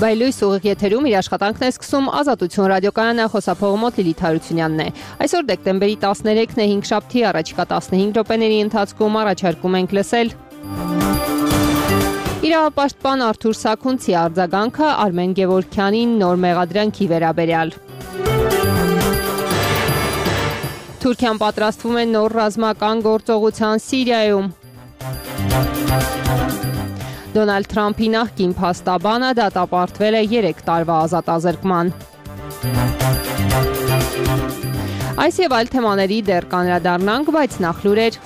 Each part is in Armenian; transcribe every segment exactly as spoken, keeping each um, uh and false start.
Բայլույս ուղիղ եթերում իր աշխատանքն է սկսում Ազատություն ռադիոկայանը, խոսափողը մոտ Լիլիթ Հարությունյանն է։ Այսօր դեկտեմբերի տասներեքն է, հինգշաբթի, առաջիկա տասնհինգ րոպեների ընթացքում առաջարկում ենք լսել իրավապաշտպան Արթուր Սաքունցի արձագանքը Արմեն Գևորգյանին նոր մեղադրանքի վերաբերյալ։ Թուրքիան պատրաստվում է նոր ռազմական գործողության Սիրիայում։ Դոնալդ Թրամփի նախկին փաստաբանը դատապարտվել է երեք տարվա ազատազրկման։ Այս եւ այլ թեմաների դեռ կանրադառնանք, բայց նախ լուրեր։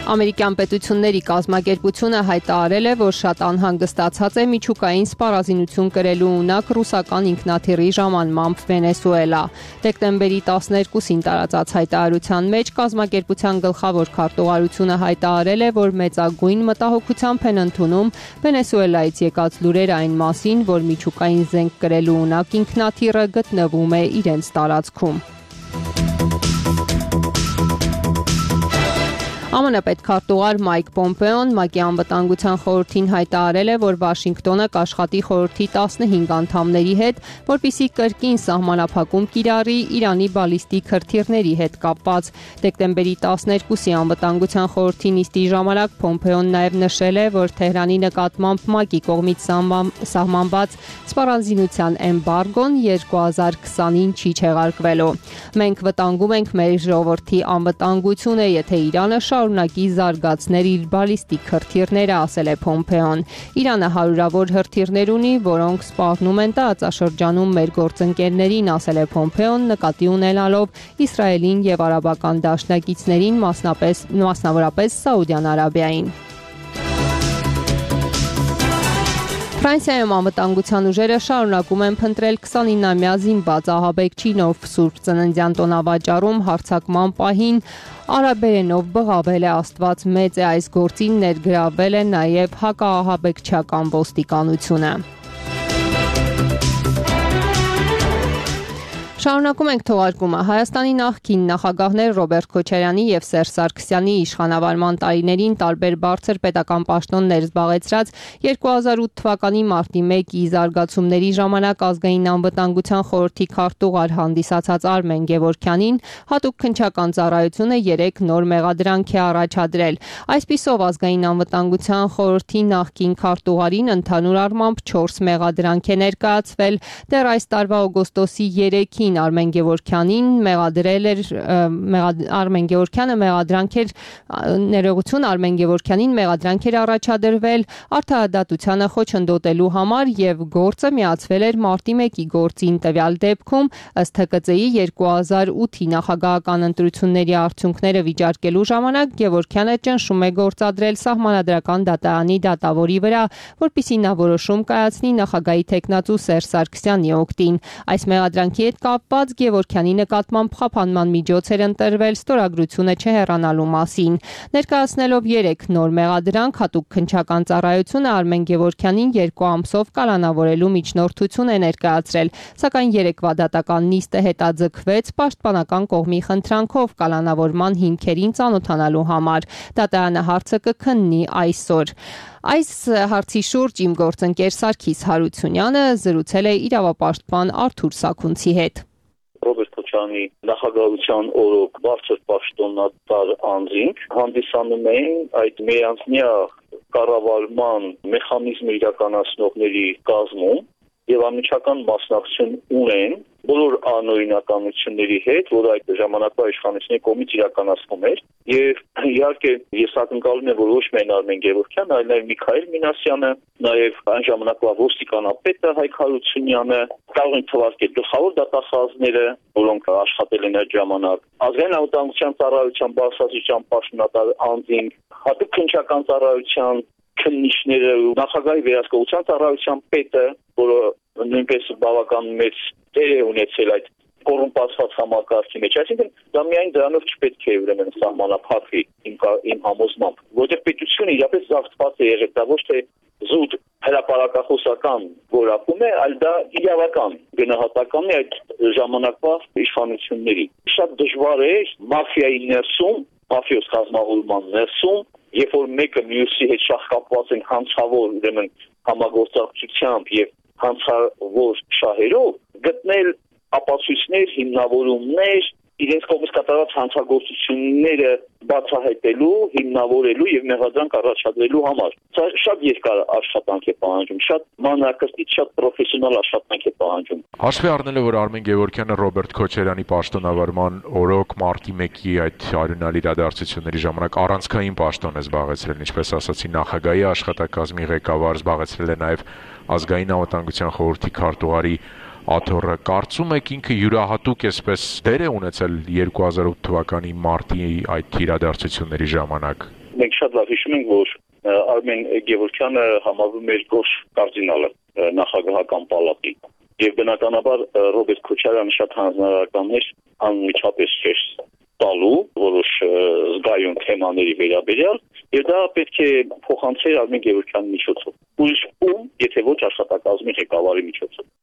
Ամերիկյան պետությունների կազմակերպությունը հայտարարել է, որ շատ անհանգստացած է միջուկային սպառազինություն կրելու ունակ ռուսական ինքնաթիռի ժամանմամբ Վենեսուելա։ Դեկտեմբերի տասներկուսին տարածած հայտարարության մեջ կազմակերպության գլխավոր քարտուղարությունը հայտարարել է, որ մեծագույն մտահոգությամբ են ընդունում Վենեսուելայից եկած լուրեր այն մասին, որ միջուկային զենք կրելու ունակ ինքնաթիռը գտնվում է իրենց տարածքում։ ԱՄՆ պետքարտուղար Մայք Պոմպեոն ՄԱԿ-ի անվտանգության խորհրդին հայտարարել է, որ Վաշինգտոնը կաշխատի խորհրդի տասնհինգ անդամների հետ, որպեսզի կրկին սահմանափակում կիրառի Իրանի բալիստիկ հրթիռների հետ կապված։ Դեկտեմբերի տասներկուսի անվտանգության խորհրդի նիստի ժամանակ Պոմպեոն նաև նշել է, որ Թեհրանի նկատմամբ ՄԱԿ-ի կողմից սահմանված սպառազինության էմբարգոն երկու հազար քսանին չի չեղարկվելու։ Մենք վտանգում ենք մեր ժողովրդի անվտանգությունը, եթե Իրանը շարունակի զարգացնել իր բալիստիկ հրթիռները, ասել է Պոմպեոն։ Իրանը հարյուրավոր հրթիռներ ունի, որոնք սպառնում են տարածաշրջանում մեր գործընկերներին, ասել է Պոմպեոն, նկատի ունենալով Իսրայելին եւ արաբական դաշնակիցներին, մասնավորապես Սաուդյան Արաբիային։ Ֆրանսիայում անվտանգության ուժերը շարունակում են փնտրել քսանինամյա զինված ահաբեկչի նոր սուրբ ծննդյան տոնավաճառում հարձակման պահին արաբերենով բղավել է Աստված մեծ է, այս գործին ներգրավվել է նաև հակաահաբեկչական ոստիկանությունը։ Շարունակում ենք թողարկումը։ Հայաստանի նախկին նախագահներ Ռոբերտ Քոչարյանի եւ Սերժ Սարգսյանի իշխանավարման տարիներին տարբեր բարձր պետական պաշտոններ զբաղեցրած երկու հազար ութ թվականի մարտի մեկի զարգացումների ժամանակ ազգային անվտանգության խորհրդի քարտուղար հանդիսացած Արմեն Գևորգյանին հատուկ քննչական ծառայությունը երեք նոր մեղադրանք է առաջադրել։ Այսպիսով ազգային անվտանգության խորհրդի նախկին քարտուղարին ընդհանուր առմամբ չորս մեղադրանք է ներկայացվել։ Դեռ այս տարվա օգոստոսի երեքին Արմեն Գևորգյանին մեղադրել էր Արմեն Գևորգյանը մեղադրանք էր ներողություն Արմեն Գևորգյանին մեղադրանք էր առաջադրվել արդարադատությանը խոչընդոտելու համար եւ գործը միացվել էր մարտի մեկի գործին։ Տվյալ դեպքում ըստ Հ Կ Ծ-ի երկու հազար ութի նախագահական ընտրությունների արդյունքները վիճարկելու ժամանակ Գևորգյանը ճնշում է գործադրել Սահմանադրական դատարանի դատավորի վրա, որպեսզի նա որոշում կայացնի նախագահի թեկնածու Սերժ Սարգսյանի օգտին։ Այս մեղադրանքի հետ կապված Գևորգյանի նկատմամբ խափանման միջոց էր ընտրվել ստորագրությունը չհեռանալու մասին։ Ներկայացնելով երեք նոր մեղադրանք, հատուկ քննչական ծառայությունը Արմեն Գևորգյանին երկու ամսով կալանավորելու միջնորդություն է ներկայացրել, սակայն երեկվա դատական նիստը հետաձգվեց պաշտպանական կողմի խնդրանքով կալանավորման հիմքերին ծանոթանալու համար։ Դատարանը հարցը կքննի այսօր։ Այս հարցի շուրջ իմ գործընկեր Սարգիս Հարությունյանը զրուցել է իրավապաշտպան Արթուր Սաքունցի հետ։ Ռոբերտ Քոչարյանի նախագահության օրոք բարձր պաշտոնատար անձինք հանդիսանում էին այդ միանձնյա կառավարման մեխանիզմը իրականացնողների կազմում եւ անմիջական մասնակցություն ունեն բոլոր անօրինականությունների հետ, որ այդ ժամանակվա իշխանությունների կողմից իրականացվում էր, եւ իհարկե ես ակնկալում եմ, որ ոչ միայն Արմեն Գևորգյանը, այլ նաեւ Միքայել Մինասյանը, նաեւ այն ժամանակվա ոստիկանապետը Հայկ Հարությունյանը, կարող են թվարկել գլխավոր դատախազները, որոնք աշխատել են այդ ժամանակ, ազգային անվտանգության ծառայության բարձրաստիճան պաշտոնատար անձինք, հատուկ քննչական ծառայության քննիչները, նախագահի վերահսկողության ծառայության պետը, որը նույնպես բավական մեծ դեր է ունեցել այդ կոռումպացված համակարգի մեջ, այսինքն դա միայն դրանով չպետք է ուրեմն սահմանափակվի իմ իմ համոզմամբ, որտեղ պետությունը իրապես զավթված է եղել, դա ոչ թե զուտ հրապարակախոսական որակում է, այլ դա իրավական գնահատական է այդ ժամանակվա իշխանությունների։ Շատ դժվար է մաֆիայի ներսում, մաֆիոս կազմավորման ներսում, երբ որ մեկը մյուսի հետ շահկապված են հանցավոր, ուրեմն համագործակցությամբ եւ հանցավոր շահերով, գտնել ապացույցներ, հիմնավորումներ, իրենց կողմից կատարած հանցագործությունները բացահայտելու, հիմնավորելու եւ մեղադրանք առաջադրելու համար։ Սա շատ երկար աշխատանք է պահանջում, շատ մանրակրթիչ, շատ պրոֆեսիոնալ աշխատանք է պահանջում։ Հաշվի առնելով, որ Արմեն Գևորգյանը Ռոբերտ Քոչարյանի պաշտոնավարման օրոք մարտի մեկի այդ արյունալ իրադարձությունների ժամանակ առանցքային պաշտոն է զբաղեցրել, ինչպես ասացի, նախագահի աշխատակազմի ղեկավար, զբաղեցրել է նաեւ ազգային անվտանգության խորհրդի քարտուղարի աթոռը, կարծում եք ինքը յուրահատուկ էսպես դեր է ունեցել երկու հազար ութ թվականի մարտի այդ իրադարձությունների ժամանակ։ Մենք շատ լավ հիշում ենք, որ Արմեն Գևորգյանը համարվում էր գորշ կարդինալը նախագահական պալատի եւ բնականաբար Ռոբերտ Քոչարյանը շատ հանձնարարականներ անմիջապես չէր տալու որոշ զգայուն թեմաների վերաբերյալ եւ դա պետք է փոխանցեր Արմեն Գևորգյանի միջոցով։ Ուրիշ ում, եթե ոչ աշխատակազմի ղեկավարի միջոցով։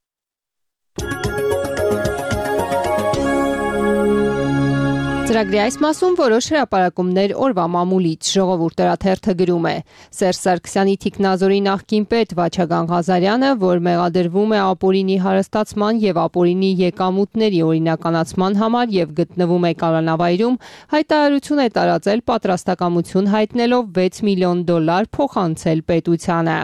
Ծրագրի այս մասում որոշ հրապարակումներ օրվա մամուլից ժողովուրդ օրաթերթը գրում է. Սերժ Սարգսյանի թիկնազորի նախկին պետ Վաչագան Ղազարյանը, որ մեղադրվում է ապօրինի հարստացման եւ ապօրինի եկամուտների օրինականացման համար եւ գտնվում է կալանավայրում, հայտարարություն է տարածել պատրաստակամություն հայտնելով վեց միլիոն դոլար փոխանցել պետությանը։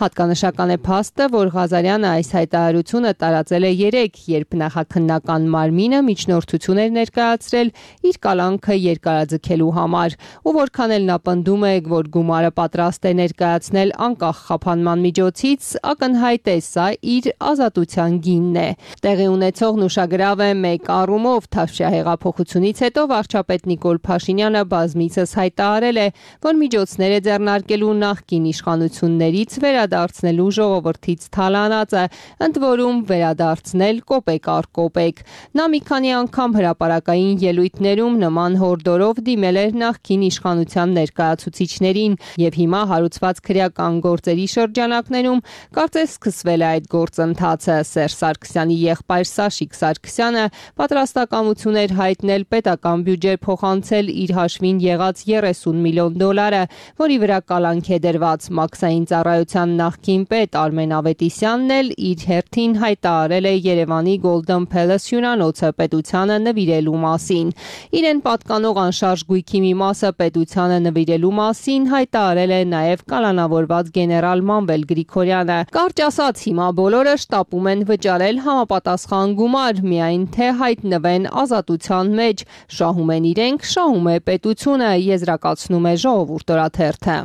Հատկանշական է փաստը, որ Ղազարյանը այս հայտարարությունը տարածել է երեկ, երբ նախաքննական մարմինը միջնորդություն էր ներկայացրել իր կալանքը երկարաձգելու համար, ու որքան էլ նա պնդում է, որ գումարը պատրաստ է ներկայացնել անկախ խափանման միջոցից, ակնհայտ է սա իր ազատության գինն է։ Տեղի ունեցողն ուշագրավ է մեկ առումով, Թավշյա հեղափոխությունից հետո վարչապետ Նիկոլ Փաշինյանը բազմիցս հայտարարել է, որ միջոցներ է ձեռնարկելու նախկին իշխանություններից վերադարձնելու ժողովրդից թալանածը, ընդ որում վերադարձնել կոպեկ առ կոպեկ։ Նա մի քանի անգամ հրապարակային ելույթներում նման հորդորով դիմել էր նախկին իշխանության ներկայացուցիչներին եւ հիմա հարուցված քրեական գործերի շրջանակներում կարծես սկսվել է այդ գործընթացը։ Սերժ Սարգսյանի եղբայր Սաշիկ Սարգսյանը պատրաստակամություն էր հայտնել պետական բյուջե փոխանցել իր հաշվին եղած երեսուն միլիոն դոլարը, որի վրա կալանք է դրված։ Մաքսային ծառայության նախկին պետ Արմեն Ավետիսյանն էլ իր հերթին հայտարարել է Երևանի Golden Palace հյուրանոցը պետությանը նվիրելու մասին։ Իրեն պատկանող անշարժ գույքի մի մասը պետությանը նվիրելու մասին հայտարարել է նաև կալանավորված գեներալ Մանվել Գրիգորյանը։ Կարճ ասած, հիմա բոլորը շտապում են վճարել համապատասխան գումար, միայն թե հայտնվեն ազատության մեջ։ Շահում են իրենք, շահում է պետությունը, եզրակացնում է Ժողովուրդ օրաթերթը։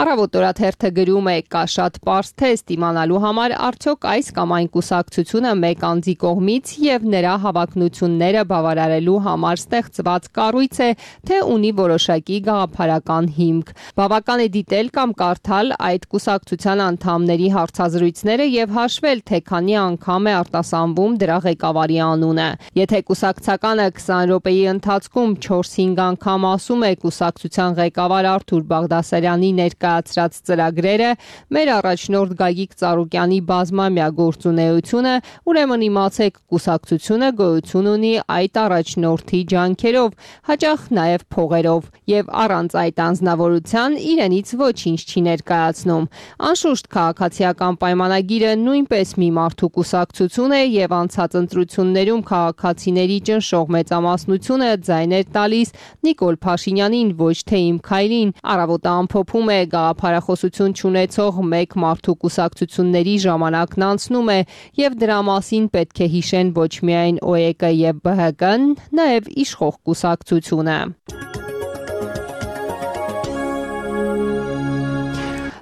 Առավոտ օրաթերթը գրում է. կա շատ պարզ թեստ իմանալու համար արդյոք այս կամ այն կուսակցությունը մեկ անձի կողմից եւ նրա հավակնությունները բավարարելու համար ստեղծված կառույց է, թե ունի որոշակի գաղափարական հիմք։ Բավական է դիտել կամ կարդալ այդ կուսակցության անդամների հարցազրույցները եւ հաշվել, թե քանի անգամ է արտասանվում դրա ղեկավարի անունը։ Եթե կուսակցականը քսան րոպեի ընթացքում չորս-հինգ անգամ ասում է կուսակցության ղեկավար Արթուր Բաղդասարյանի ներկայացրած ծրագրերը, մեր առաջնորդ Գագիկ Ծառուկյանի բազմամյա գործունեությունը, ուրեմն իմացեք, կուսակցությունը գոյություն ունի այդ առաջնորդի ջանքերով, հաճախ նաև փողերով, եւ առանց այդ անձնավորության իրենից ոչինչ չի ներկայացնում։ Անշուշտ քաղաքացիական պայմանագիրը նույնպես մի մարդու կուսակցություն է եւ անցած ընտրություններում քաղաքացիների ճնշող մեծամասնությունը ձայն էր տալիս Նիկոլ Փաշինյանին, ոչ թե Իմ Քայլին։ Առավոտը ամփոփում է գաղափարախոսություն չունեցող մեկ մարդու կուսակցությունների ժամանակն անցնում է եւ դրա մասին պետք է հիշեն ոչ միայն օ է կը եւ бэ հը կը-ն, նաեւ իշխող կուսակցությունը։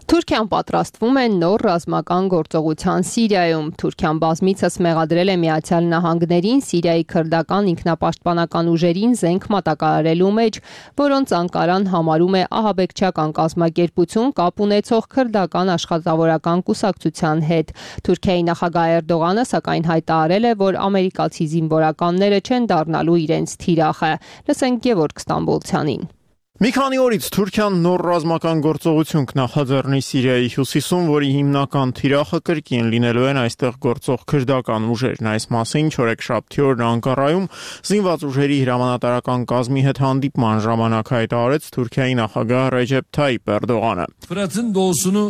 Թուրքիան պատրաստվում է նոր ռազմական գործողության Սիրիայում։ Թուրքիան բազմիցս մեղադրել է Միացյալ Նահանգներին Սիրիայի քրդական ինքնապաշտպանական ուժերին զենք մատակարարելու մեջ, որոնց Անկարան համարում է ահաբեկչական կազմակերպություն կապ ունեցող քրդական աշխատավորական կուսակցության հետ։ Թուրքիայի նախագահ Էրդողանը սակայն հայտարարել է, որ ամերիկացի զինվորականները չեն դառնալու իրենց թիրախը։ Լսենք Գևորգ Ստամբոլցյանին։ Մի քանի օրից Թուրքիան նոր ռազմական գործողություն կնախաձեռնի Սիրիայի հյուսիսում, որի հիմնական թիրախը կրկին լինելու են այստեղ գործող քրդական ուժերն։ Այս մասին չորեքշաբթի օրն Անկարայում զինված ուժերի հրամանատարական կազմի հետ հանդիպման ժամանակ հայտարարեց Թուրքիայի նախագահ Ռեջեփ Թայիփ Էրդողանը։ Fırat'ın doğusunu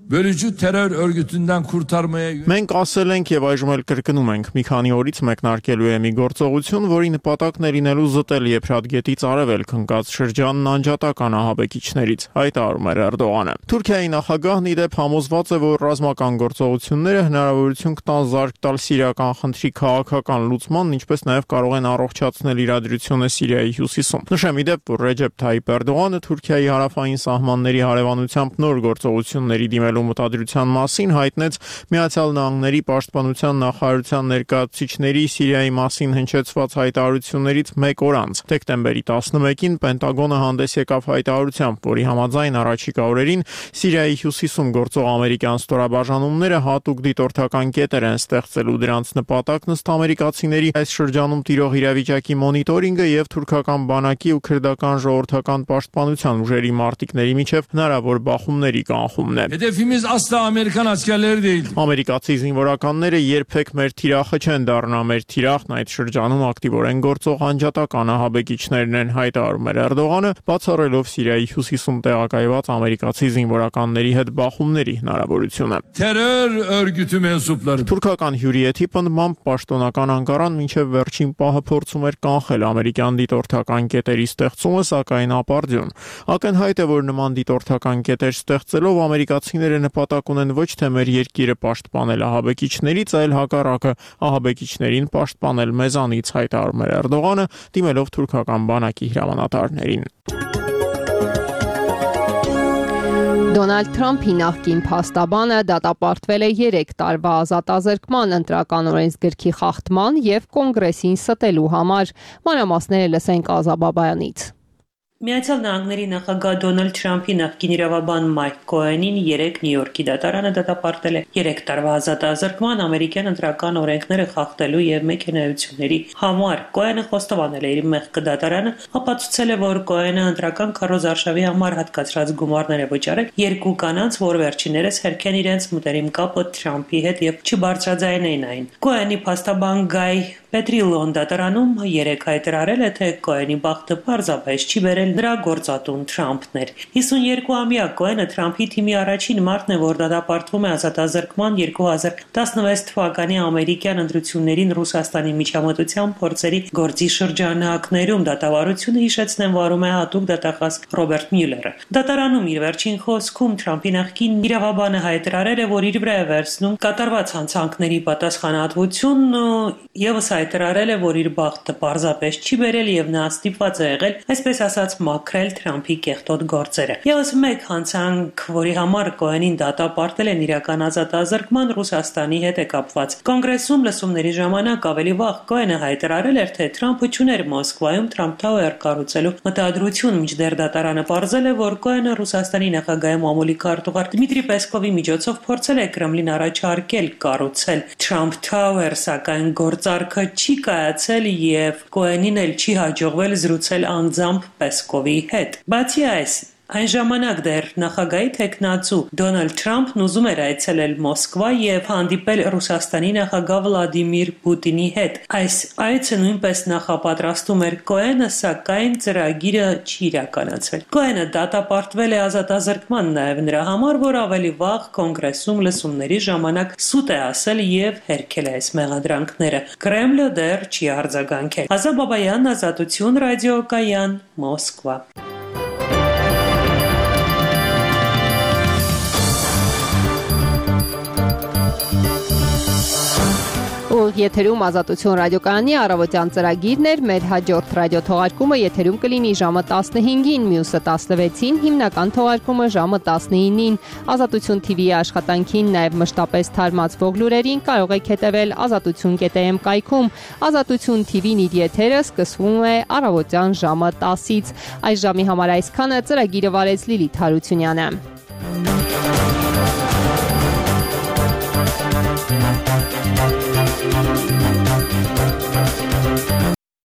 bölücü terör örgütünden kurtarmaya Մենք ասել ենք եւ այժմ էլ կրկնում ենք, մի քանի օրից մեկնարկելու է մի գործողություն, որի նպատակն է լինելու զտել Եփրատգետից արևելք ընկած շրջանն անջատական ահաբեկիչներից, հայտարարում էր Էրդողանը։ Թուրքիայի նախագահն ի դեպ համոզված է, որ ռազմական գործողությունները հնարավորություն կտան զարգ տալ սիրիական խնդրի քաղաքական լուծմանն, ինչպես նաեւ կարող են առողջացնել իրադրությունը Սիրիայի հյուսիսում։ Նշեմ ի դեպ, որ Ռեջեփ Թայիփ Էրդողանը Թուրքիայի հարավային սահմանների հարևանությամբ նոր գործողությունների դիմելու մտադրության մասին հայտնեց Միացյալ Նահանգների պաշտպանության նախարարության ներկայացուցիչների Սիրիայի մասին հնչեցված հայտարարություններից մեկ օր անց։ Դեկտեմբերի տասնմեկին Պենտագոնը հանդես եկավ հայտարարությամբ, որի համաձայն առաջիկա օրերին Սիրիայի հյուսիսում գործող ամերիկյան ստորաբաժանումները հատուկ դիտորդական կետեր են ստեղծելու, դրանց նպատակն ըստ ամերիկացիների այս շրջանում տիրող իրավիճակի մոնիտորինգը եւ թուրքական բանակի ու քրդական ժողովրդական պաշտպանության ուժերի մարտիկների միջև հնարավոր բախումների կանխումն է։ Hedefimiz asla Amerikan askerleri değil. Ամերիկացի զինվորականները երբեք մեր թիրախը չեն դառնա, մեր թիրախն այդ շրջանում ակտիվորեն գործող անջատական ահաբեկիչներն են, հայտարարում էր Էրդողանը, բացառելով Սիրիայի հյուսիսում տեղակայված ամերիկացի զինվորականների հետ բախումների հնարավորությունը։ Terör örgütü mensupları. Թուրքական հյուրի հետ պնդմամբ պաշտոնական Անկարան մինչև վերջին պահը փորձում էր կանխել ամերիկյան դիտորդական կետերի ստեղծումը, սակայն ապարդյուն։ Ակնհայտ է, որ նման դիտորդական կետեր ստեղծելով ամերիկացիները նպատակ ունեն ոչ թե մեր երկիրը պաշտպանել ահաբեկիչներից, այլ հակառակը ահաբեկիչներին պաշտպանել մեզանից, հայտարարում էր Էրդողանը, դիմելով թուրքական բանակի հրամանատարներին։ Դոնալդ Թրամփի նախկին փաստաբանը դատապարտվել է երեք տարվա ազատազրկման ընտրական օրենսգրքի խախտման եւ կոնգրեսին ստելու համար։ Մանրամասները լսենք Ազա Բաբայանից։ Միացյալ Նահանգների նախագահ Դոնալդ Թրամփի նախկին իրավաբան Մայք Քոենին երեք Նյու Յորքի դատարանը դատապարտել է երեք տարվա ազատազրկման ամերիկյան ընտրական օրենքները խախտելու եւ մեքենայությունների համար։ Քոենը խոստովանել է իր մեղքը դատարանը, ապացուցել է, որ Քոենը ընտրական քարոզարշավի համար հատկացրած գումարներ է վճարել երկու կանանց, որ վերջիններս հերքեն իրենց մտերիմ կապը Թրամփի հետ եւ չբարձրաձայնեն այն։ Քոենի փաստաբան Գայ Պետրիլոն դատարանում երեք հայտարարել է, թե Քոենի բախտը պարզապես չի բերել նրա գործատուն Թրամփն էր։ հիսունյոթամյա Քոենը Թրամփի թիմի առաջին մարդն է, որ դատապարտվում է ազատազրկման երկու հազար տասնվեց թվականի ամերիկյան ընտրություններին Ռուսաստանի միջամտության փորձերի գործի շրջանակներում։ Դատավարությունը հիշեցնեն վարում է հատուկ դատախազ Ռոբերտ Մյուլերը։ Դատարանում իր վերջին խոսքում Թրամփի նախկին իրավաբանը հայտարարել է, որ իր վրա է վերցնում կատարված հանցանքների պատասխանատվությունն եւս հայտարարել է, որ իր բախտը պարզապես չի բերել եւ նա ստիպված է եղել, այսպես ասած, մաքրել Թրամփի կեղտոտ գործերը։ Եվս մեկ հանցանք, որի համար Քոենին դատապարտել են իրական ազատազրկման, Ռուսաստանի հետ է կապված։ Կոնգրեսում լսումների ժամանակ ավելի վաղ Քոենը հայտարարել էր, թե Թրամփը չուներ Մոսկվայում Թրամփ Թաուեր կառուցելու մտադրություն, մինչդեռ դատարանը պարզել է, որ Քոենը Ռուսաստանի նախագահի մամուլի քարտուղար Դմիտրի Պեսկովի միջոցով փորձել է Կրեմլին առաջարկել կառուցել Թրամփ Թաուեր, սակայն գործարքը չի կայացել եւ Քոենին էլ չի հաջողվել զրուցել անձամբ Պեսկովի հետ։ Բացի այս, այն ժամանակ դեռ նախագահի թեկնածու Դոնալդ Թրամփն ուզում էր այցելել Մոսկվա եւ հանդիպել Ռուսաստանի նախագահ Վլադիմիր Պուտինի հետ։ Այս այցը նույնպես նախապատրաստում էր Քոենը, սակայն ծրագիրը չի իրականացվել։ Քոենը դատապարտվել է ազատազրկման նաեւ նրա համար, որ ավելի վաղ կոնգրեսում լսումների ժամանակ սուտ է ասել եւ հերքել է այս մեղադրանքները։ Կրեմլը դեռ չի արձագանքել։ Ազա Բաբայան, Ազատություն, ռադիոկայան, Մոսկվա։ Ուղիղ եթերում Ազատություն ռադիոկայանի առավոտյան ծրագիրն էր, մեր հաջորդ ռադիո թողարկումը եթերում կլինի ժամը տասնհինգին, մյուսը տասնվեցին, հիմնական թողարկումը ժամը տասնինին։ Ազատություն թի վիի աշխատանքին, նաև մշտապես թարմացվող լուրերին կարող եք հետևել ազատություն կետ էմ կայքում։ Ազատություն թի վին իր եթերը սկսվում է առավոտյան ժամը տասից։ Այս ժամի համար այսքանը, ծրագիրը վարեց Լիլիթ Հարությունյանը։